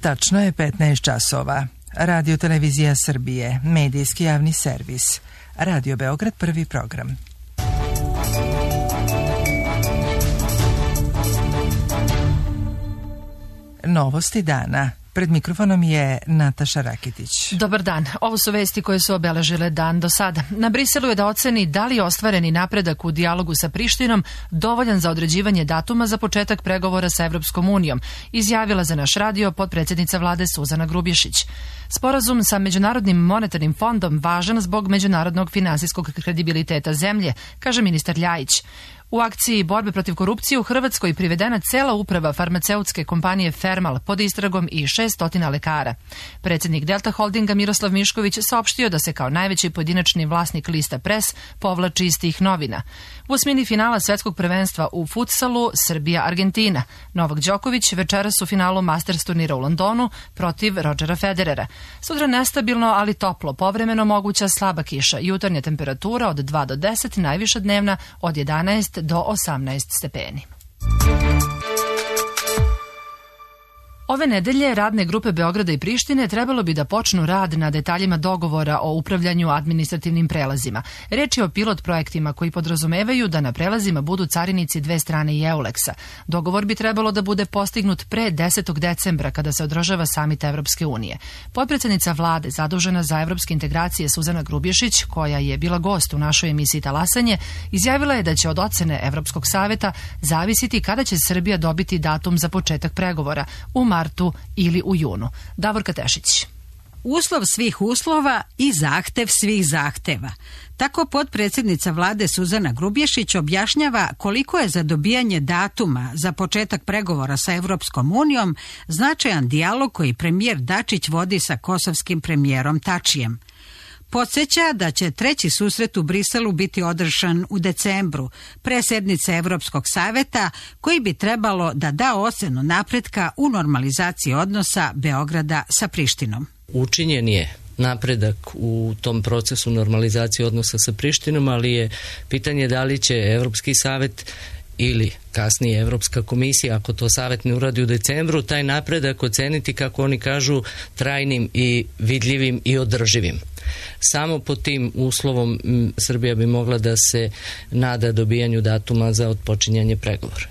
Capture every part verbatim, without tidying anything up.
Tačno je petnaest časova. Radio Televizija Srbije, medijski javni servis. Radio Beograd, prvi program. Novosti dana. Pred mikrofonom je Nataša Rakitić. Dobar dan. Ovo su vesti koje su obeležile dan do sada. Na Briselu je da oceni da li je ostvareni napredak u dijalogu sa Prištinom dovoljan za određivanje datuma za početak pregovora sa Evropskom unijom, izjavila za naš radio potpredsjednica vlade Suzana Grubješić. Sporazum sa Međunarodnim monetarnim fondom važan zbog međunarodnog finansijskog kredibiliteta zemlje, kaže ministar Ljajić. U akciji borbe protiv korupcije u Hrvatskoj privedena cela uprava farmaceutske kompanije Fermal pod istragom i šeststotina lekara. Predsjednik Delta Holdinga Miroslav Mišković saopštio da se kao najveći pojedinačni vlasnik lista Pres povlači iz tih novina. U osmini finala svetskog prvenstva u futsalu Srbija-Argentina. Novak Đoković večeras u finalu Masters turnira u Londonu protiv Rodgera Federera. Sutra nestabilno, ali toplo, povremeno moguća slaba kiša. Jutarnja temperatura od dva do deset, najviša dnevna od jedanaest do osamnaest stepeni. Ove nedelje radne grupe Beograda i Prištine trebalo bi da počnu rad na detaljima dogovora o upravljanju administrativnim prelazima. Reč je o pilot projektima koji podrazumevaju da na prelazima budu carinici dve strane i Euleksa. Dogovor bi trebalo da bude postignut pre desetog decembra kada se održava samit Evropske unije. Potpredsjednica vlade zadužena za evropske integracije Suzana Grubješić, koja je bila gost u našoj emisiji Talasanje, izjavila je da će od ocene Evropskog saveta zavisiti kada će Srbija dobiti datum za početak pregovora u martu ili u junu. Davorka Tešić. Uslov svih uslova i zahtev svih zahteva. Tako potpredsjednica vlade Suzana Grubješić objašnjava koliko je za dobijanje datuma za početak pregovora sa Evropskom unijom značajan dijalog koji premijer Dačić vodi sa kosovskim premijerom Tačijem. Podsjeća da će treći susret u Briselu biti održan u decembru, pre sednice Evropskog saveta, koji bi trebalo da da ocenu napretka u normalizaciji odnosa Beograda sa Prištinom. Učinjen je napredak u tom procesu normalizacije odnosa sa Prištinom, ali je pitanje da li će Evropski savet ili kasnije Evropska komisija, ako to savet ne uradi u decembru, taj napredak oceniti, kako oni kažu, trajnim i vidljivim i održivim. Samo pod tim uslovom Srbija bi mogla da se nada dobijanju datuma za otpočinjanje pregovora.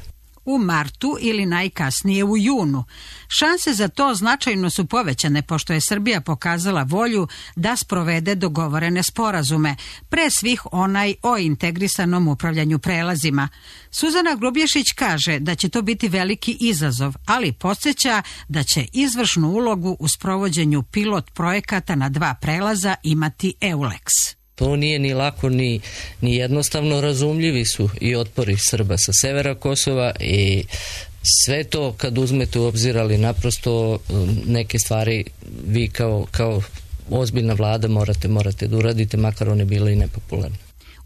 U martu ili najkasnije u junu. Šanse za to značajno su povećane pošto je Srbija pokazala volju da sprovede dogovorene sporazume, pre svih onaj o integrisanom upravljanju prelazima. Suzana Grubješić kaže da će to biti veliki izazov, ali podsjeća da će izvršnu ulogu u sprovođenju pilot projekata na dva prelaza imati Euleks. To nije ni lako ni, ni jednostavno, razumljivi su i otpori Srba sa severa Kosova i sve to kad uzmete u obzir, ali naprosto neke stvari vi kao, kao ozbiljna vlada morate, morate da uradite, makar one bile i nepopularne.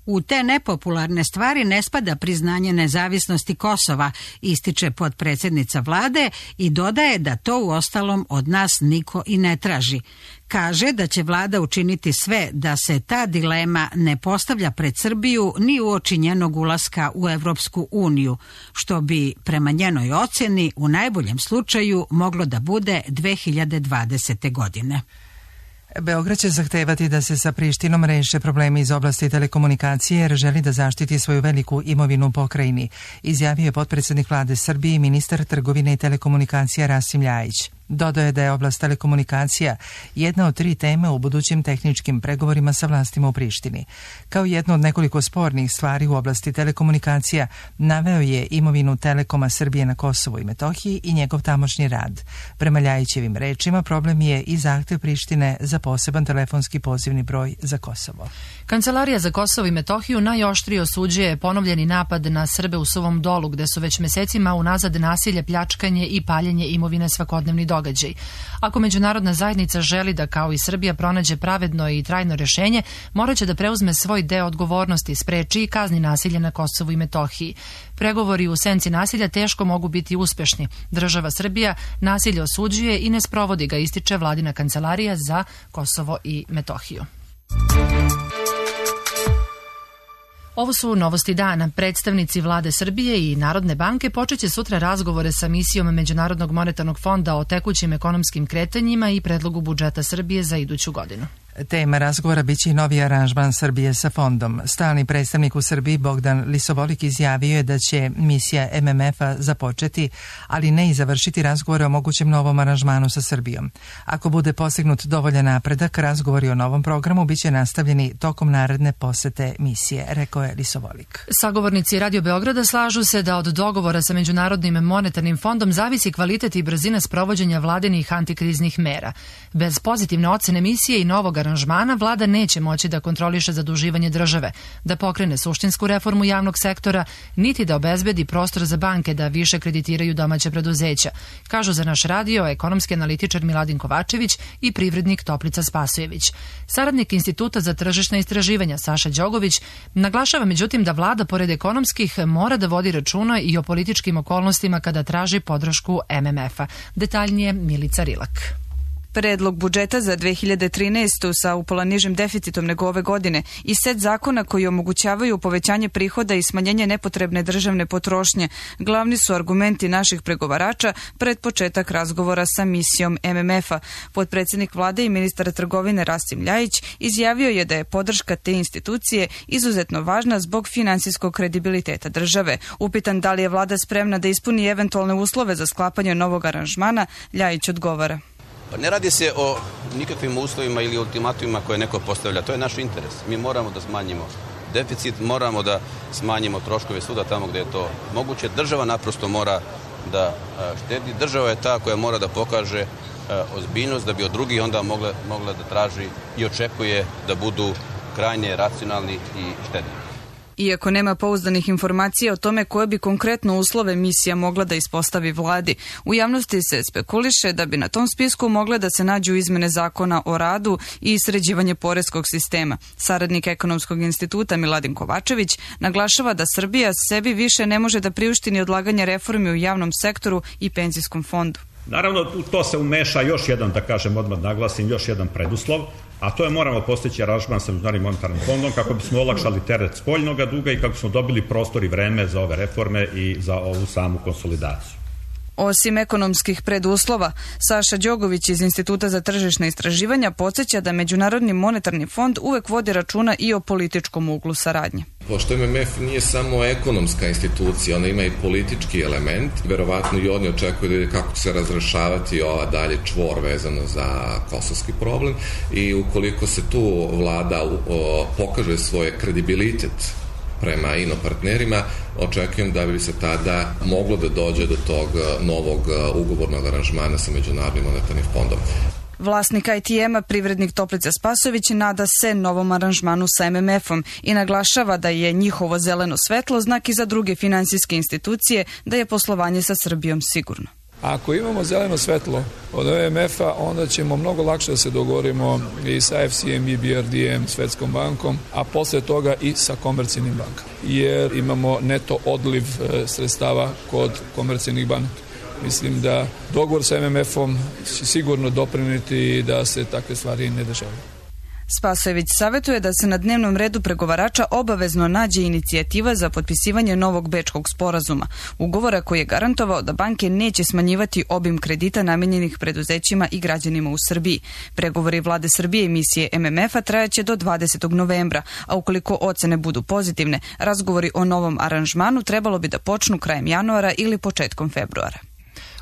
U te nepopularne stvari ne spada priznanje nezavisnosti Kosova, ističe potpredsjednica vlade i dodaje da to uostalom od nas niko i ne traži. Kaže da će vlada učiniti sve da se ta dilema ne postavlja pred Srbiju ni uoči njenog ulaska u Evropsku uniju, što bi prema njenoj ocjeni u najboljem slučaju moglo da bude dve hiljade dvadesete. godine. Beograd će zahtevati da se sa Prištinom reše problemi iz oblasti telekomunikacije jer želi da zaštiti svoju veliku imovinu u pokrajini, izjavio je potpredsjednik vlade Srbije i ministar trgovine i telekomunikacija Rasim Ljajić. Dodao je da je oblast telekomunikacija jedna od tri teme u budućim tehničkim pregovorima sa vlastima u Prištini. Kao jedno od nekoliko spornih stvari u oblasti telekomunikacija naveo je imovinu Telekoma Srbije na Kosovu i Metohiji i njegov tamošnji rad. Prema Ljajićevim rečima, problem je i zahtev Prištine za poseban telefonski pozivni broj za Kosovo. Kancelarija za Kosovo i Metohiju najoštrije osuđuje ponovljeni napad na Srbe u Suvom Dolu, gde su već mesecima unazad nasilje, pljačkanje i paljenje imovine svakodnevni događaj. Ako međunarodna zajednica želi da kao i Srbija pronađe pravedno i trajno rešenje, morat će da preuzme svoj deo odgovornosti, spreči i kazni nasilje na Kosovu i Metohiji. Pregovori u senci nasilja teško mogu biti uspešni. Država Srbija nasilje osuđuje i ne sprovodi ga, ističe vladina kancelarija za Kosovo i Metohiju. Ovo su novosti dana. Predstavnici vlade Srbije i Narodne banke počeće sutra razgovore sa misijom Međunarodnog monetarnog fonda o tekućim ekonomskim kretanjima i predlogu budžeta Srbije za iduću godinu. Tema razgovora biće i novi aranžman Srbije sa fondom. Stalni predstavnik u Srbiji Bogdan Lisovolik izjavio je da će misija M M F-a započeti, ali ne i završiti razgovore o mogućem novom aranžmanu sa Srbijom. Ako bude postignut dovoljan napredak, razgovori o novom programu biće nastavljeni tokom naredne posete misije, rekao je Lisovolik. Sagovornici Radio Beograda slažu se da od dogovora sa Međunarodnim monetarnim fondom zavisi kvalitet i brzina sprovođenja vladinih antikriznih mera. Bez pozitivne ocene misije i novog aranžmana vlada neće moći da kontroliše zaduživanje države, da pokrene suštinsku reformu javnog sektora, niti da obezbedi prostor za banke da više kreditiraju domaća preduzeća, kažu za naš radio ekonomski analitičar Miladin Kovačević i privrednik Toplica Spasojević. Saradnik Instituta za tržišna istraživanja Saša Đogović naglašava međutim da vlada pored ekonomskih mora da vodi računa i o političkim okolnostima kada traži podršku M M F-a. Detaljnije Milica Rilak. Predlog budžeta za dve hiljade trinaestu sa upola nižim deficitom nego ove godine i set zakona koji omogućavaju povećanje prihoda i smanjenje nepotrebne državne potrošnje glavni su argumenti naših pregovarača pred početak razgovora sa misijom M M F-a. Potpredsjednik vlade i ministar trgovine Rasim Ljajić izjavio je da je podrška te institucije izuzetno važna zbog finansijskog kredibiliteta države. Upitan da li je vlada spremna da ispuni eventualne uslove za sklapanje novog aranžmana, Ljajić odgovara. Pa ne radi se o nikakvim uslovima ili ultimatumima koje neko postavlja. To je naš interes. Mi moramo da smanjimo deficit, moramo da smanjimo troškove suda tamo gdje je to moguće. Država naprosto mora da štedi. Država je ta koja mora da pokaže ozbiljnost da bi od drugih onda mogla, mogla da traži i očekuje da budu krajnje racionalni i štedni. Iako nema pouzdanih informacija o tome koje bi konkretno uslove misija mogla da ispostavi vladi, u javnosti se spekuliše da bi na tom spisku mogle da se nađu izmene zakona o radu i sređivanje poreskog sistema. Saradnik Ekonomskog instituta Miladin Kovačević naglašava da Srbija sebi više ne može da priušti ni odlaganje reformi u javnom sektoru i penzijskom fondu. Naravno, u to se umeša još jedan, da kažem, odmah naglasim, još jedan preduslov, a to je moramo postići aranžman sa Međunarodnim monetarnim fondom kako bismo olakšali teret spoljnog duga i kako bismo dobili prostor i vreme za ove reforme i za ovu samu konsolidaciju. Osim ekonomskih preduslova, Saša Đogović iz Instituta za tržišna istraživanja podsjeća da Međunarodni monetarni fond uvek vodi računa i o političkom uglu saradnje. Pošto M M F nije samo ekonomska institucija, ona ima i politički element, verovatno i oni očekuju da kako će se razrešavati ova dalje čvor vezano za kosovski problem i ukoliko se tu vlada o, pokaže svoje kredibilitet prema inopartnerima, očekujem da bi se tada moglo da dođe do tog novog ugovornog aranžmana sa Međunarodnim monetarnim fondom. Vlasnik I T M-a, privrednik Toplica Spasojević, nada se novom aranžmanu sa M M F-om i naglašava da je njihovo zeleno svetlo znak i za druge finansijske institucije da je poslovanje sa Srbijom sigurno. Ako imamo zeleno svetlo od M M F-a, onda ćemo mnogo lakše da se dogovorimo i sa F C M, I B R D M, Svetskom bankom, a posle toga i sa komercijalnim bankama. Jer imamo neto odliv sredstava kod komercijalnih banaka. Mislim da dogovor sa M M F-om će sigurno doprineti da se takve stvari ne dešavaju. Spasojević savjetuje da se na dnevnom redu pregovarača obavezno nađe inicijativa za potpisivanje novog Bečkog sporazuma, ugovora koji je garantovao da banke neće smanjivati obim kredita namenjenih preduzećima i građanima u Srbiji. Pregovori vlade Srbije i misije M M F-a trajaće do dvadesetog novembra, a ukoliko ocene budu pozitivne, razgovori o novom aranžmanu trebalo bi da počnu krajem januara ili početkom februara.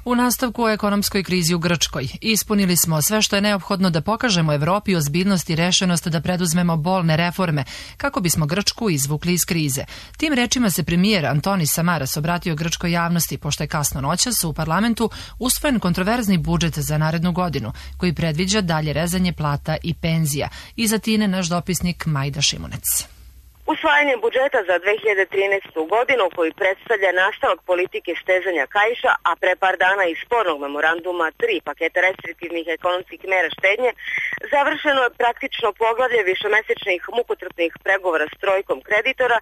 U nastavku o ekonomskoj krizi u Grčkoj ispunili smo sve što je neophodno da pokažemo Evropi ozbiljnost i rešenost da preduzmemo bolne reforme kako bismo Grčku izvukli iz krize. Tim rečima se premijer Antonis Samaras obratio grčkoj javnosti pošto je kasno noćas u parlamentu usvojen kontroverzni budžet za narednu godinu koji predviđa dalje rezanje plata i penzija. Iz Atine naš dopisnik Majda Šimunec. Usvajanje budžeta za dve hiljade trinaestu. godinu koji predstavlja nastavak politike stezanja kaiša, a pre par dana i spornog memoranduma tri paketa restriktivnih ekonomskih mera štednje, završeno je praktično poglavlje višemesečnih mukotrpnih pregovora s trojkom kreditora,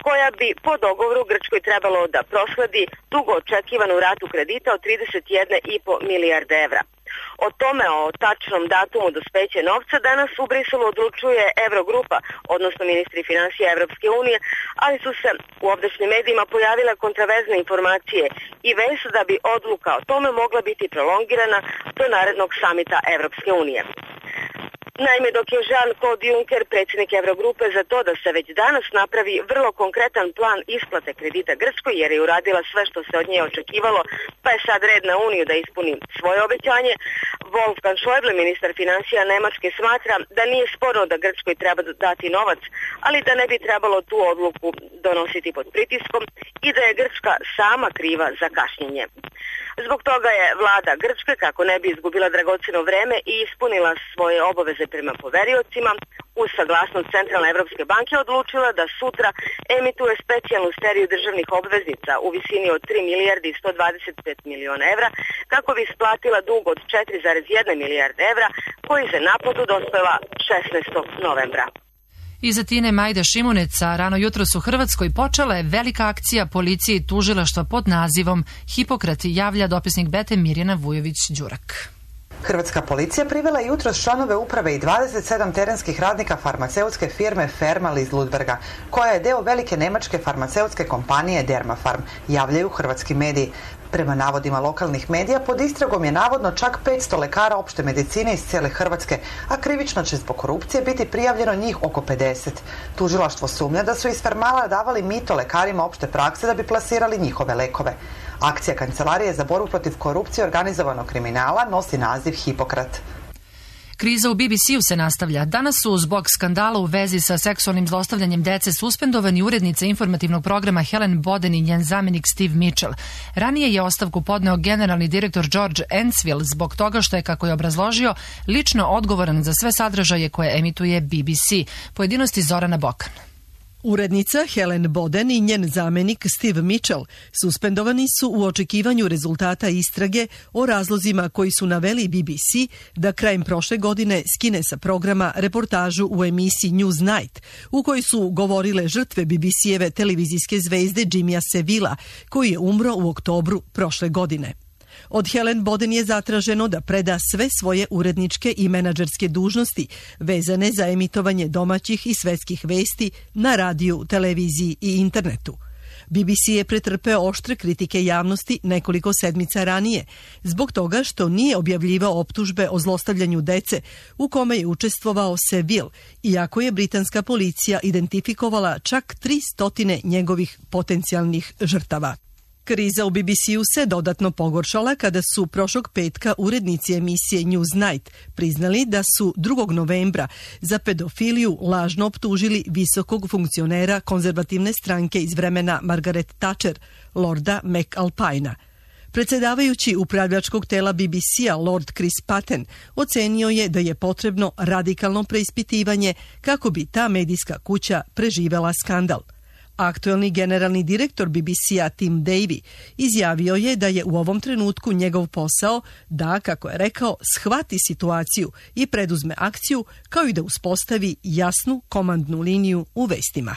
koja bi po dogovoru Grčkoj trebalo da prosledi dugo očekivanu ratu kredita od trideset jedna i po milijarde evra. O tome, o tačnom datumu dospeća novca, danas u Briselu odlučuje Eurogrupa, odnosno ministri finansija Evropske unije, ali su se u ovdašnjim medijima pojavile kontraverzne informacije i vest da bi odluka o tome mogla biti prolongirana do narednog samita Evropske unije. Naime, dok je Jean-Claude Juncker, predsjednik Eurogrupe, za to da se već danas napravi vrlo konkretan plan isplate kredita Grčkoj, jer je uradila sve što se od nje očekivalo, pa je sad red na Uniju da ispuni svoje obećanje, Wolfgang Schäuble, ministar financija Nemačke, smatra da nije sporno da Grčkoj treba dati novac, ali da ne bi trebalo tu odluku donositi pod pritiskom i da je Grčka sama kriva za kašnjenje. Zbog toga je vlada Grčke, kako ne bi izgubila dragocjeno vreme i ispunila svoje obaveze prema poveriocima, uz saglasnost Centralne Evropske banke odlučila da sutra emituje specijalnu seriju državnih obveznica u visini od tri milijarde i sto dvadeset pet miliona evra, kako bi isplatila dug od četiri zarez jedna milijarde evra, koji za naplatu dospeva šesnaestog novembra. Iza Tine Majda Šimuneca rano jutros u Hrvatskoj počela je velika akcija policije i tužilaštva pod nazivom Hipokrat, javlja dopisnik Bete Mirjana Vujović-Đurak. Hrvatska policija privela je jutros članove uprave i dvadeset sedam terenskih radnika farmaceutske firme Fermal iz Ludberga, koja je deo velike nemačke farmaceutske kompanije Dermafarm, javljaju hrvatski mediji. Prema navodima lokalnih medija, pod istragom je navodno čak petsto lekara opšte medicine iz cijele Hrvatske, a krivično će zbog korupcije biti prijavljeno njih oko pedeset. Tužilaštvo sumnja da su iz Fermala davali mito lekarima opšte prakse da bi plasirali njihove lekove. Akcija Kancelarije za borbu protiv korupcije i organizovanog kriminala nosi naziv Hipokrat. Kriza u B B C-u se nastavlja. Danas su zbog skandala u vezi sa seksualnim zlostavljanjem dece suspendovani urednica informativnog programa Helen Boden i njen zamenik Steve Mitchell. Ranije je ostavku podneo generalni direktor George Ensfield zbog toga što je, kako je obrazložio, lično odgovoran za sve sadržaje koje emituje B B C. Pojedinosti Zorana Bokan. Urednica Helen Boden i njen zamenik Steve Mitchell suspendovani su u očekivanju rezultata istrage o razlozima koji su naveli B B C da krajem prošle godine skine sa programa reportažu u emisiji Newsnight, u kojoj su govorile žrtve B B C-eve televizijske zvezde Jimmya Sevilla, koji je umro u oktobru prošle godine. Od Helen Boden je zatraženo da preda sve svoje uredničke i menadžerske dužnosti vezane za emitovanje domaćih i svetskih vesti na radiju, televiziji i internetu. B B C je pretrpeo oštre kritike javnosti nekoliko sedmica ranije, zbog toga što nije objavljivao optužbe o zlostavljanju dece u kome je učestvovao Seville, iako je britanska policija identifikovala čak tri stotine njegovih potencijalnih žrtava. Kriza u B B C-u se dodatno pogoršala kada su prošlog petka urednici emisije Newsnight priznali da su drugog novembra za pedofiliju lažno optužili visokog funkcionera konzervativne stranke iz vremena Margaret Thatcher, Lorda McAlpina. Predsjedavajući upravljačkog tela B B C-a Lord Chris Patten ocenio je da je potrebno radikalno preispitivanje kako bi ta medijska kuća preživela skandal. Aktuelni generalni direktor B B C-a Tim Davie izjavio je da je u ovom trenutku njegov posao da, kako je rekao, shvati situaciju i preduzme akciju, kao i da uspostavi jasnu komandnu liniju u vestima.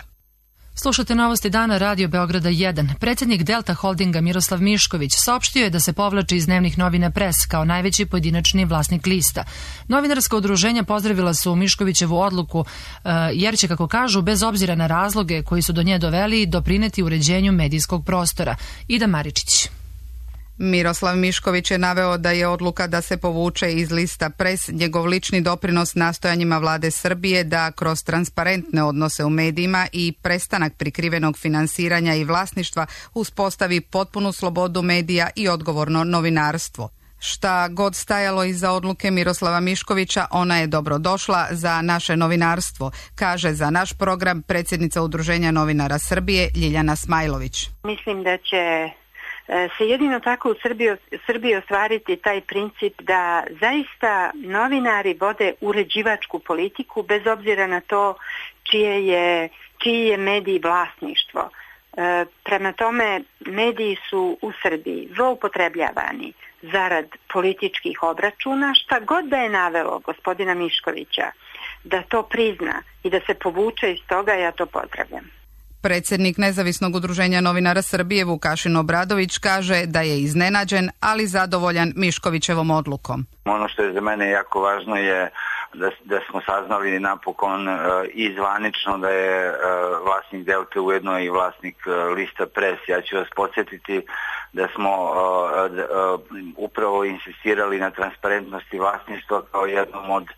Slušate novosti dana Radio Beograda jedan. Predsjednik Delta Holdinga Miroslav Mišković saopštio je da se povlači iz dnevnih novina Pres kao najveći pojedinačni vlasnik lista. Novinarska udruženja pozdravila su Miškovićevu odluku jer će, kako kažu, bez obzira na razloge koji su do nje doveli, doprineti uređenju medijskog prostora. Ida Maričić. Miroslav Mišković je naveo da je odluka da se povuče iz lista Pres njegov lični doprinos nastojanjima vlade Srbije da kroz transparentne odnose u medijima i prestanak prikrivenog finansiranja i vlasništva uspostavi potpunu slobodu medija i odgovorno novinarstvo. Šta god stajalo iza odluke Miroslava Miškovića, ona je dobrodošla za naše novinarstvo, kaže za naš program predsjednica Udruženja novinara Srbije Ljiljana Smajlović. Mislim da će se jedino tako u Srbiji, Srbiji ostvariti taj princip da zaista novinari vode uređivačku politiku bez obzira na to čije je, čiji je medij vlasništvo. E, prema tome, mediji su u Srbiji zloupotrebljavani zarad političkih obračuna, šta god da je navelo gospodina Miškovića da to prizna i da se povuče iz toga, ja to pozdravljam. Predsjednik Nezavisnog udruženja novinara Srbije Vukašin Obradović kaže da je iznenađen, ali zadovoljan Miškovićevom odlukom. Ono što je za mene jako važno je da, da smo saznali napokon uh, i zvanično da je uh, vlasnik Delte ujedno i vlasnik uh, lista Pres. Ja ću vas podsjetiti da smo uh, uh, upravo insistirali na transparentnosti vlasništva kao jednom od uh,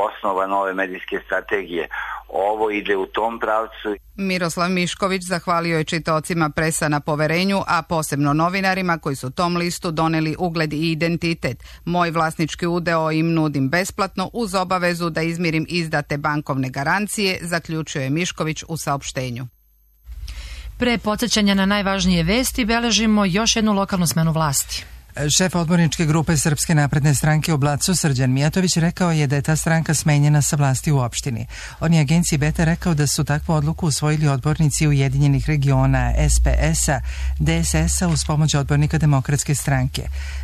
osnova nove medijske strategije. Ovo ide u tom pravcu. Miroslav Mišković zahvalio je čitaocima Presa na poverenju, a posebno novinarima koji su tom listu doneli ugled i identitet. Moj vlasnički udeo im nudim besplatno uz obavezu da izmirim izdate bankovne garancije, zaključio je Mišković u saopštenju. Pre podsjećanja na najvažnije vesti beležimo još jednu lokalnu smenu vlasti. Šef odborničke grupe Srpske napredne stranke u Blacu, Srđan Mijatović, rekao je da je ta stranka smenjena sa vlasti u opštini. On je agenciji Beta rekao da su takvu odluku usvojili odbornici Ujedinjenih regiona S P S-a, D S S-a uz pomoć odbornika Demokratske stranke.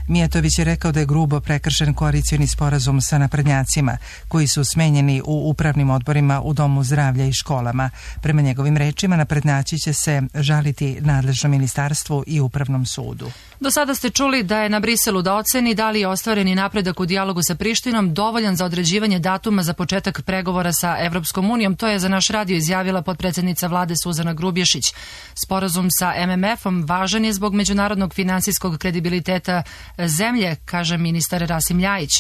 Mijatović je rekao da je grubo prekršen koalicioni sporazum sa naprednjacima, koji su smenjeni u upravnim odborima u Domu zdravlja i školama. Prema njegovim rečima, naprednjaci će se žaliti nadležnom ministarstvu i upravnom sudu. Do sada ste čuli da je na Briselu da oceni da li je ostvareni napredak u dijalogu sa Prištinom dovoljan za određivanje datuma za početak pregovora sa Evropskom unijom. To je za naš radio izjavila potpredsjednica vlade Suzana Grubješić. Sporazum sa M M F-om važan je zbog međunarodnog finansijskog kredibiliteta zemlje, kaže ministar Rasim Ljajić.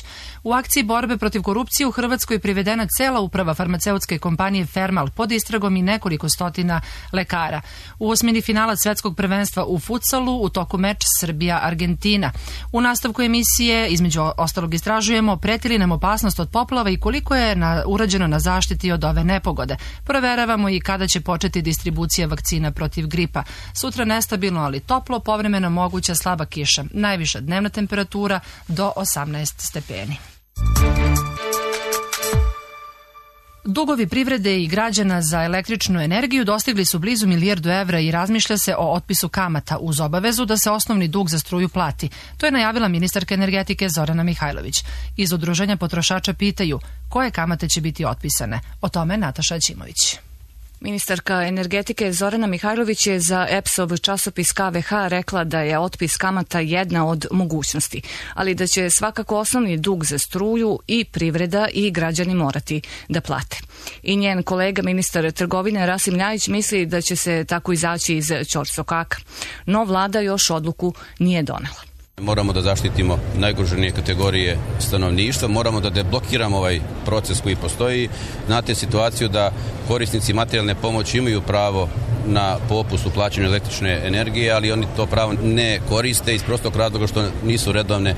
U akciji borbe protiv korupcije u Hrvatskoj je privedena cela uprava farmaceutske kompanije Fermal pod istragom i nekoliko stotina lekara. U osmini finala svetskog prvenstva u futsalu u toku meč Srbija-Argentina. U nastavku emisije, između ostalog, istražujemo preti li nam opasnost od poplava i koliko je na, urađeno na zaštiti od ove nepogode. Proveravamo i kada će početi distribucija vakcina protiv gripa. Sutra nestabilno, ali toplo, povremeno moguća slaba kiša. Najviša dnevna temperatura do osamnaest stepeni. Dugovi privrede i građana za električnu energiju dostigli su blizu milijardu evra i razmišlja se o otpisu kamata uz obavezu da se osnovni dug za struju plati. To je najavila ministarka energetike Zorana Mihajlović. Iz udruženja potrošača pitaju koje kamate će biti otpisane. O tome Nataša Ćimović. Ministarka energetike Zorana Mihajlović je za E P S-ov časopis K V H rekla da je otpis kamata jedna od mogućnosti, ali da će svakako osnovni dug za struju i privreda i građani morati da plate. I njen kolega ministar trgovine Rasim Ljajić misli da će se tako izaći iz ćorsokaka. No vlada još odluku nije donela. Moramo da zaštitimo najugroženije kategorije stanovništva, moramo da deblokiramo ovaj proces koji postoji. Znate situaciju da korisnici materijalne pomoći imaju pravo na popust u plaćanju električne energije, ali oni to pravo ne koriste iz prostog razloga što nisu redovne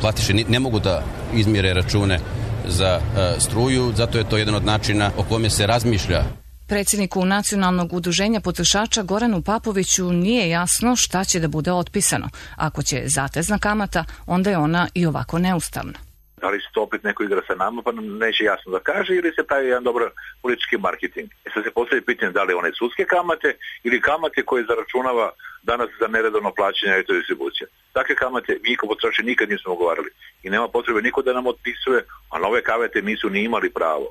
platiše, ne mogu da izmire račune za struju, zato je to jedan od načina o kome se razmišlja. Predsjedniku Nacionalnog udruženja potrošača Goranu Papoviću nije jasno šta će da bude otpisano. Ako će zatezna kamata, onda je ona i ovako neustavna. Da li se to opet neko igra sa nama, pa nam neće jasno da kaže, ili se pravi jedan dobar politički marketing. E sad se postavlja pitanje da li one sudske kamate ili kamate koje zaračunava danas za neredovno plaćanje elektrodistribucija. Takve kamate mi kao potrošači nikad nismo ugovarali i nema potrebe niko da nam otpisuje, a nove kamate nisu ni imali pravo.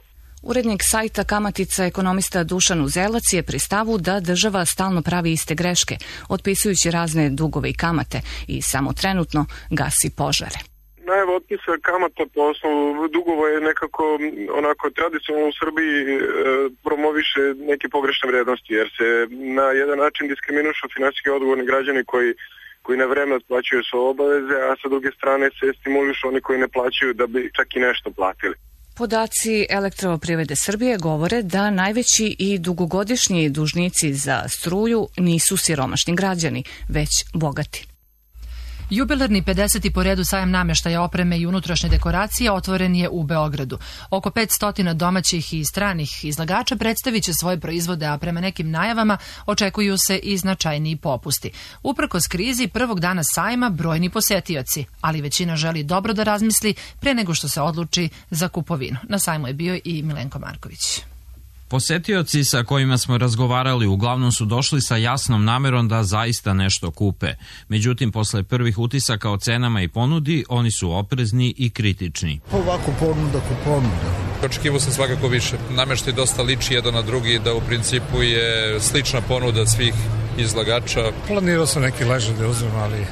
Urednik sajta Kamatica, ekonomista Dušan Uzelac, je pri stavu da država stalno pravi iste greške, otpisujući razne dugove i kamate i samo trenutno gasi požare. Najava otpisa kamata po osnovu dugova je nekako onako tradicionalno u Srbiji e, promoviše neke pogrešne vrednosti, jer se na jedan način diskriminušu finansijski odgovorni građani koji koji na vreme otplaćuju svoje obaveze, a sa druge strane se stimulišu oni koji ne plaćaju da bi čak i nešto platili. Podaci Elektroprivrede Srbije govore da najveći i dugogodišnji dužnici za struju nisu siromašni građani, već bogati. Jubilarni pedeseti po redu sajam namještaja, opreme i unutrašnje dekoracije otvoren je u Beogradu. Oko petsto domaćih i stranih izlagača predstavit će svoje proizvode, a prema nekim najavama očekuju se i značajniji popusti. Uprkos krizi prvog dana sajma brojni posetioci, ali većina želi dobro da razmisli pre nego što se odluči za kupovinu. Na sajmu je bio i Milenko Marković. Posetioci sa kojima smo razgovarali uglavnom su došli sa jasnom namerom da zaista nešto kupe. Međutim, posle prvih utisaka o cenama i ponudi, oni su oprezni i kritični. Ovako ponuda ko ponuda. Očekivao sam svakako više. Nameštaj dosta liči jedan na drugi, da u principu je slična ponuda svih izlagača. Planirao sam neki ležaj da uzmem, ali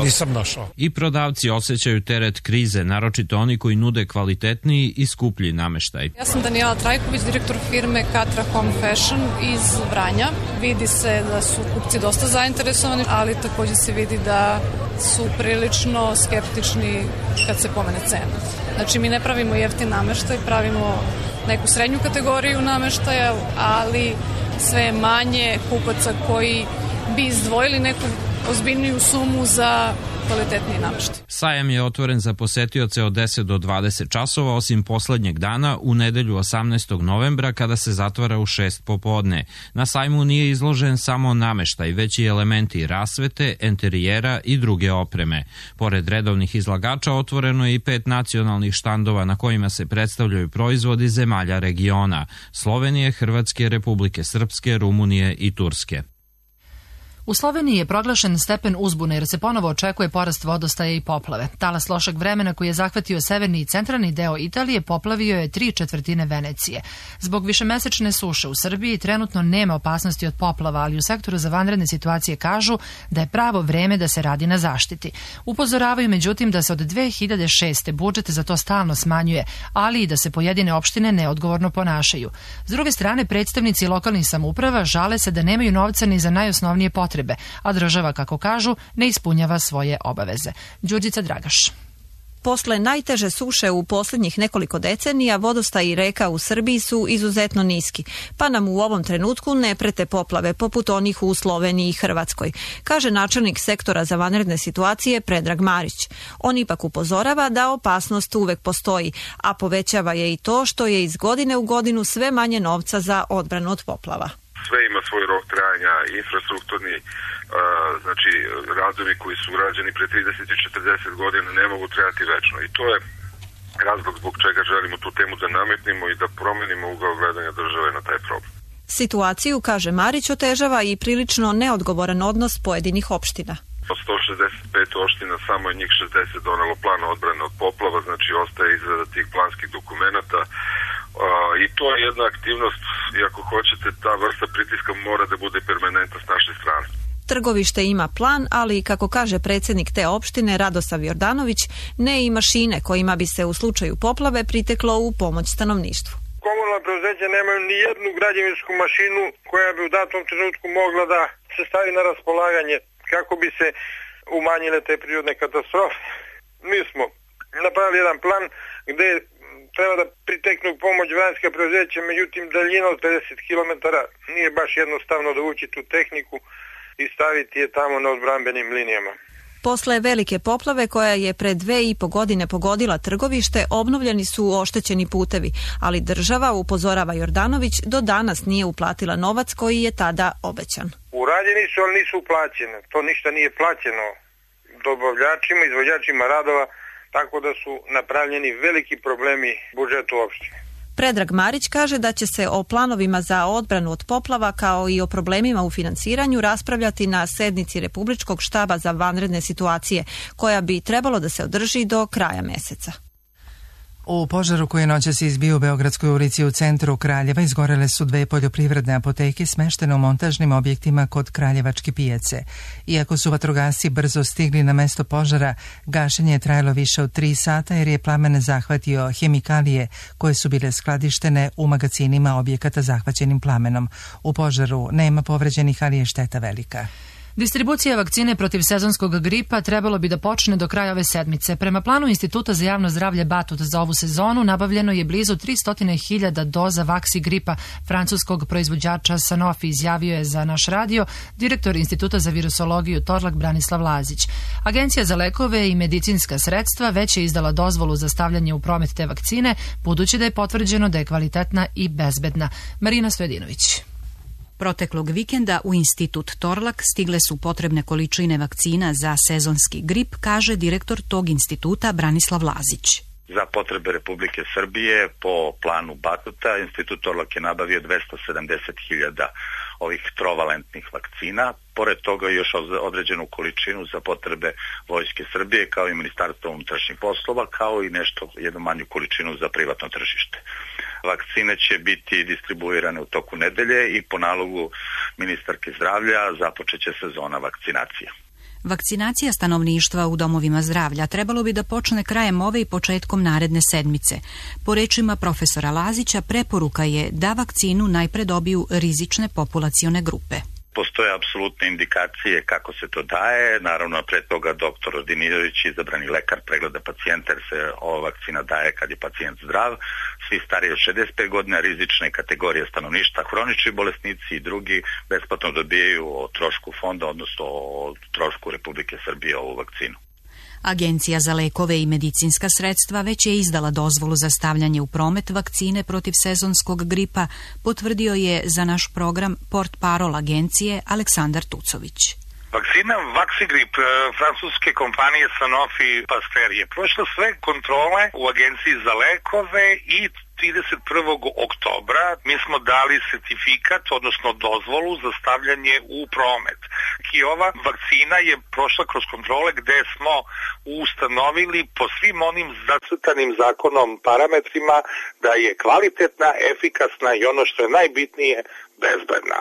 nisam našao. I prodavci osjećaju teret krize, naročito oni koji nude kvalitetniji i skuplji nameštaj. Ja sam Danijela Trajković, direktor firme Katra Home Fashion iz Vranja. Vidi se da su kupci dosta zainteresovani, ali također se vidi da su prilično skeptični kad se pomene cena. Znači, mi ne pravimo jeftin nameštaj, pravimo neku srednju kategoriju nameštaja, ali sve je manje kupaca koji bi izdvojili neku ozbiljniju sumu za kvalitetniji nameštaj. Sajam je otvoren za posetioce od deset do dvadeset časova, osim poslednjeg dana u nedelju osamnaestog novembra kada se zatvara u šest popodne. Na sajmu nije izložen samo nameštaj, već i elementi rasvete, enterijera i druge opreme. Pored redovnih izlagača otvoreno je i pet nacionalnih štandova na kojima se predstavljaju proizvodi zemalja regiona: Slovenije, Hrvatske, Republike Srpske, Rumunije i Turske. U Sloveniji je proglašen stepen uzbune jer se ponovo očekuje porast vodostaja i poplave. Talas lošeg vremena koji je zahvatio severni i centralni deo Italije poplavio je tri četvrtine Venecije. Zbog višemesečne suše u Srbiji trenutno nema opasnosti od poplava, ali u sektoru za vanredne situacije kažu da je pravo vreme da se radi na zaštiti. Upozoravaju međutim da se od dve hiljade šeste. budžet za to stalno smanjuje, ali i da se pojedine opštine neodgovorno ponašaju. S druge strane, predstavnici lokalnih samouprava žale se da nemaju novca ni za najosnovnije potrebe, a država, kako kažu, ne ispunjava svoje obaveze. Đurđica Dragaš. Posle najteže suše u posljednjih nekoliko decenija, vodostaji reka u Srbiji su izuzetno niski, pa nam u ovom trenutku ne prete poplave poput onih u Sloveniji i Hrvatskoj, kaže načelnik sektora za vanredne situacije Predrag Marić. On ipak upozorava da opasnost uvek postoji, a povećava je i to što je iz godine u godinu sve manje novca za odbranu od poplava. Sve ima svoj rok trajanja, infrastrukturni, uh, znači radovi koji su urađeni pre trideset i četrdeset godina ne mogu trajati večno i to je razlog zbog čega želimo tu temu da nametnimo i da promenimo ugao gledanja države na taj problem. Situaciju, kaže Marić, otežava i prilično neodgovoran odnos pojedinih opština. Od sto šezdeset pet opština samo je njih šezdeset donelo plan odbrane od poplava, znači ostaje izrada tih planskih dokumenata. Uh, I to je jedna aktivnost, i ako hoćete, ta vrsta pritiska mora da bude permanentna s naše strane. Trgovište ima plan, ali, kako kaže predsjednik te opštine Radosav Jordanović, ne i mašine kojima bi se u slučaju poplave priteklo u pomoć stanovništvu. Komunalna preduzeća nemaju ni jednu građevinsku mašinu koja bi u datom trenutku mogla da se stavi na raspolaganje kako bi se umanjile te prirodne katastrofe. Mi smo napravili jedan plan gde treba da priteknu pomoć vanjska preduzeća, međutim daljina od pedeset kilometara nije baš jednostavno da ući tu tehniku i staviti je tamo na odbrambenim linijama. Posle velike poplave koja je pre dve i po godine pogodila Trgovište, obnovljeni su oštećeni putevi, ali država, upozorava Jordanović, do danas nije uplatila novac koji je tada obećan. Urađeni su, ali nisu uplaćene. To ništa nije plaćeno dobavljačima, izvođačima radova, tako da su napravljeni veliki problemi budžetu opštine. Predrag Marić kaže da će se o planovima za odbranu od poplava kao i o problemima u finansiranju raspravljati na sednici Republičkog štaba za vanredne situacije, koja bi trebalo da se održi do kraja meseca. U požaru koji je noćas izbio u Beogradskoj ulici u centru Kraljeva izgorele su dve poljoprivredne apoteke smeštene u montažnim objektima kod Kraljevačke pijace. Iako su vatrogasci brzo stigli na mesto požara, gašenje je trajalo više od tri sata jer je plamen zahvatio hemikalije koje su bile skladištene u magacinima objekata zahvaćenim plamenom. U požaru nema povređenih, ali je šteta velika. Distribucija vakcine protiv sezonskog gripa trebalo bi da počne do kraja ove sedmice. Prema planu Instituta za javno zdravlje Batut za ovu sezonu nabavljeno je blizu tristo hiljada doza vaksi gripa francuskog proizvođača Sanofi, izjavio je za naš radio direktor Instituta za virusologiju Torlak Branislav Lazić. Agencija za lekove i medicinska sredstva već je izdala dozvolu za stavljanje u promet te vakcine, budući da je potvrđeno da je kvalitetna i bezbedna. Marina Stojadinović. Proteklog vikenda u Institut Torlak stigle su potrebne količine vakcina za sezonski grip, kaže direktor tog instituta Branislav Lazić. Za potrebe Republike Srbije po planu Batuta Institut Torlak je nabavio dvesta sedamdeset hiljada ovih trovalentnih vakcina. Pored toga još određenu količinu za potrebe Vojske Srbije kao i Ministarstva unutrašnjih poslova, kao i nešto, jednu manju količinu za privatno tržište. Vakcine će biti distribuirane u toku nedelje i po nalogu ministarke zdravlja započeće sezona vakcinacije. Vakcinacija stanovništva u domovima zdravlja trebalo bi da počne krajem ove i početkom naredne sedmice. Po rečima profesora Lazića, preporuka je da vakcinu najpre dobiju rizične populacione grupe. Postoje apsolutne indikacije kako se to daje. Naravno, pre toga doktor ordinirajući, izabrani lekar, pregleda pacijenta jer se ova vakcina daje kad je pacijent zdrav. Svi stariji od šezdeset pet godina, rizične kategorije stanovništva, hronični bolesnici i drugi besplatno dobijaju o trošku fonda, odnosno o trošku Republike Srbije ovu vakcinu. Agencija za lekove i medicinska sredstva već je izdala dozvolu za stavljanje u promet vakcine protiv sezonskog gripa, potvrdio je za naš program portparol agencije Aleksandar Tucović. Vakcina Vaxigrip francuske kompanije Sanofi Pasteur je prošla sve kontrole u Agenciji za lekove i trideset prvog oktobra mi smo dali sertifikat, odnosno dozvolu za stavljanje u promet. I ova vakcina je prošla kroz kontrole gde smo ustanovili po svim onim zacrtanim zakonom parametrima da je kvalitetna, efikasna i ono što je najbitnije, bezbedna.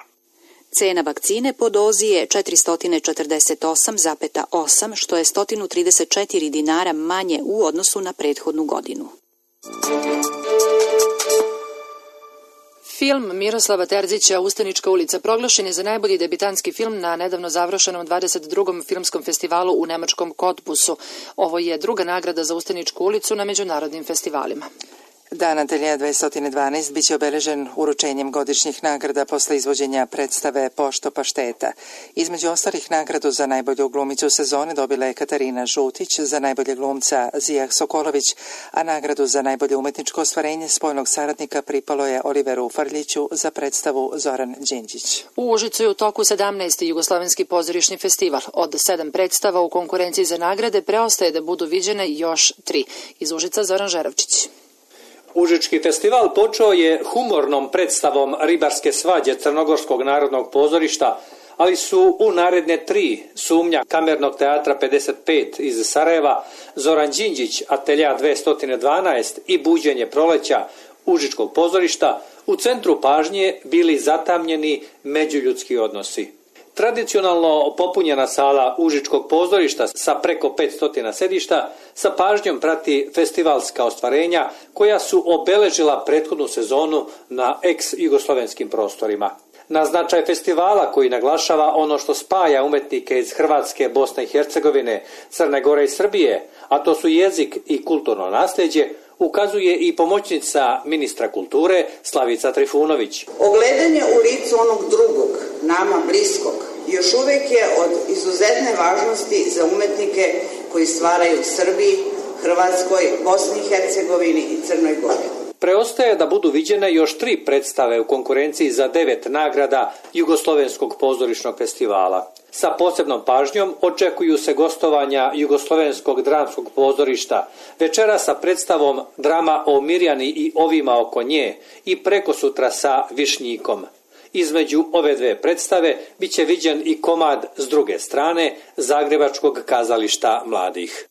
Cena vakcine po dozi je četiristo četrdeset osam zarez osam, što je sto trideset četiri dinara manje u odnosu na prethodnu godinu. Film Miroslava Terzića Ustanička ulica proglašen je za najbolji debitanski film na nedavno završenom dvadeset drugom filmskom festivalu u nemačkom Cottbusu. Ovo je druga nagrada za Ustaničku ulicu na međunarodnim festivalima. Dan Ateljea dvesta dvanaest biće obeležen uručenjem godišnjih nagrada posle izvođenja predstave Pošto pašteta. Između ostalih nagradu za najbolju glumicu sezone dobila je Katarina Žutić, za najbolje glumca Zijah Sokolović, a nagradu za najbolje umetničko ostvarenje spoljnog saradnika pripalo je Oliveru Farljiću za predstavu Zoran Đinđić. U Užicu je u toku sedamnaesti Jugoslovenski pozorišni festival. Od sedam predstava u konkurenciji za nagrade preostaje da budu viđene još tri. Iz Užica Zoran Žeravčić. Užički festival počeo je humornom predstavom Ribarske svađe Crnogorskog narodnog pozorišta, ali su u naredne tri Sumnja Kamernog teatra pedeset pet iz Sarajeva, Zoran Đinđić Ateljea dvesta dvanaest i Buđenje proleća Užičkog pozorišta u centru pažnje bili zatamnjeni međuljudski odnosi. Tradicionalno popunjena sala Užičkog pozorišta sa preko petsto sedišta sa pažnjom prati festivalska ostvarenja koja su obeležila prethodnu sezonu na ex-jugoslovenskim prostorima. Na značaj festivala koji naglašava ono što spaja umetnike iz Hrvatske, Bosne i Hercegovine, Crne Gore i Srbije, a to su jezik i kulturno nasljeđe, ukazuje i pomoćnica ministra kulture Slavica Trifunović. Ogledanje u licu onog drugog, nama bliskog, još uvijek je od izuzetne važnosti za umetnike koji stvaraju u Srbiji, Hrvatskoj, Bosni i Hercegovini i Crnoj Gori. Preostaje da budu viđene još tri predstave u konkurenciji za devet nagrada Jugoslovenskog pozorišnog festivala. Sa posebnom pažnjom očekuju se gostovanja Jugoslovenskog dramskog pozorišta, večera sa predstavom Drama o Mirjani i ovima oko nje i prekosutra sa Višnjikom. Između ove dve predstave bit će viđen i komad s druge strane Zagrebačkog kazališta mladih.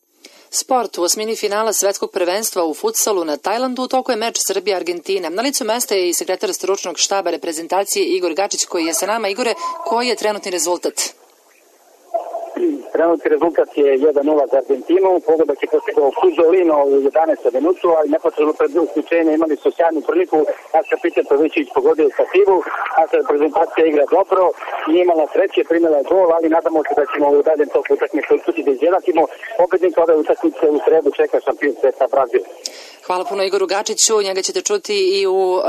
Sport. U osmini finala svetskog prvenstva u futsalu na Tajlandu u toku je meč Srbija-Argentina. Na licu mesta je i sekretar stručnog štaba reprezentacije Igor Gačić koji je sa nama. Igore, koji je trenutni rezultat? Trenutni rezultat je jedan nula za Argentinu, pogodak je postigao Kuzolino u jedanaestom minutu, ali neposredno pred uključenje imali su sjajnu priliku, naša Petar Pavićević pogodio stativu, naša reprezentacija igra dobro, nije imala sreće, primjela je gol, ali nadamo se da ćemo u daljem toku utakmice uspjeti da izjednakimo. Pobednik ove utakmice u sredu čeka šampion sveta Brazil. Hvala puno Igoru Gačiću, njega ćete čuti i u uh,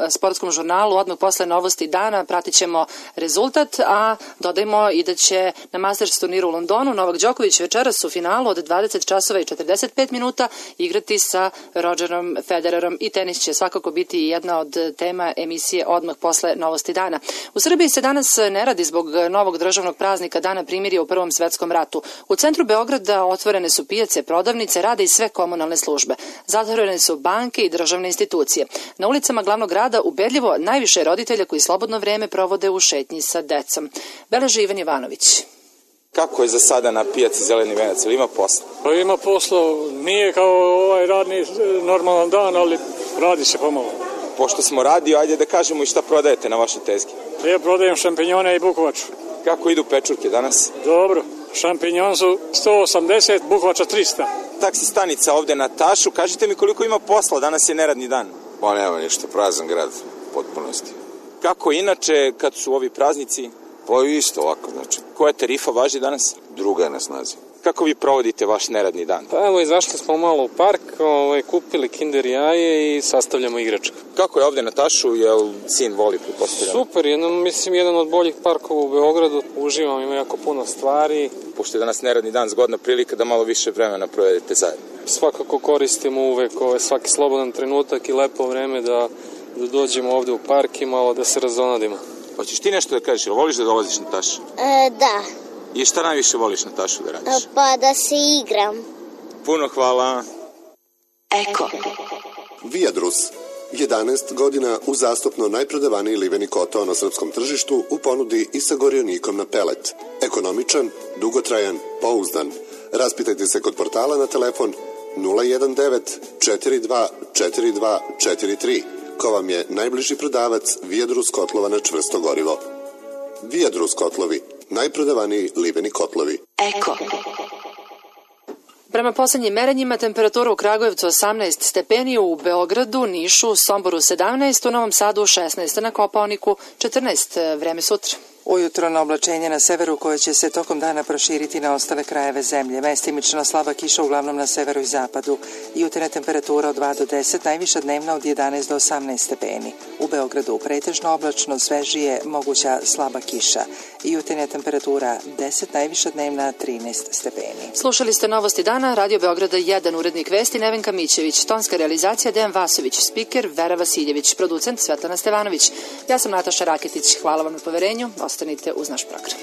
sportskom žurnalu odmah posle novosti dana, pratit ćemo rezultat, a dodajmo i da će na Masters turniru u Londonu Novak Đoković večeras u finalu od dvadeset časova i četrdeset pet minuta igrati sa Rogerom Federerom i tenis će svakako biti jedna od tema emisije odmah posle novosti dana. U Srbiji se danas ne radi zbog novog državnog praznika Dana primirja u Prvom svetskom ratu. U centru Beograda otvorene su pijace, prodavnice, rade i sve komunalne službe. Zatvorene su banke i državne institucije. Na ulicama glavnog grada ubedljivo najviše roditelja koji slobodno vreme provode u šetnji sa decom. Beleži Ivan Jovanović. Kako je za sada na pijaci Zeleni venac? Ili ima posla? Pa ima posla, nije kao ovaj radni normalan dan, ali radi se pomalo. Pošto smo radio, ajde da kažemo i šta prodajete na vašoj tezgi. Ja prodajem šampinjone i bukovaču. Kako idu pečurke danas? Dobro, šampinjon su sto osamdeset, bukovača trista. Taksi stanica ovde na Tašu, kažite mi koliko ima posla, danas je neradni dan. Pa nema ništa, prazan grad, potpunosti. Kako inače kad su ovi praznici? Pa isto ovako, znači. Koja tarifa važi danas? Druga je na snazi. Kako vi provodite vaš neradni dan? Pa evo, izašli smo malo u park, ovaj, kupili kinder jaje i sastavljamo igračke. Kako je ovde na Tašu, jel sin voli pretpostavljam? Super, jedan, mislim jedan od boljih parkova u Beogradu, uživam, ima jako puno stvari. Pošto je danas neradni dan, zgodna prilika da malo više vremena provedete zajedno. Svakako koristimo uvek ovaj, svaki slobodan trenutak i lepo vreme da, da dođemo ovde u park i malo da se razonadimo. Hoćeš ti nešto da kažeš, jel voliš da dolaziš na Tašu? E, da. I šta najviše voliš na Tašu da radiš? Pa da se igram. Puno hvala. Eko. Viadrus. jedanaest godina uzastopno najprodavaniji liveni kotao na srpskom tržištu u ponudi i sa gorionikom na pelet. Ekonomičan, dugotrajan, pouzdan. Raspitajte se kod portala na telefon nula jedan devet četiri dva četiri dva četiri tri. Ko vam je najbliži prodavac Viadrus kotlova na čvrsto gorivo. Viadrus kotlovi. Najprodavaniji liveni kotlovi. Eko. Prema poslednjim merenjima temperatura u Kragujevcu osamnaest stepeni, u Beogradu, Nišu, Somboru sedamnaest, u Novom Sadu šesnaest, na Kopaoniku četrnaest. Vreme sutra. Ujutro na oblačenje na severu koje će se tokom dana proširiti na ostale krajeve zemlje. Mestimično slaba kiša uglavnom na severu i zapadu. Jutarnja temperatura od dva do deset, najviša dnevna od jedanaest do osamnaest stepeni. U Beogradu pretežno oblačno, svežije, moguća slaba kiša. Jutarnja temperatura deset, najviša dnevna trinaest stepeni. Slušali ste novosti dana, Radio Beograda jedan, urednik vesti Nevenka Mićević, tonska realizacija Dejan Vasović, spiker Vera Vasiljević, producent Svetlana Stevanović. Ja sam Nataša Raketić, hvala vam na poverenju. Ostanite uz naš program.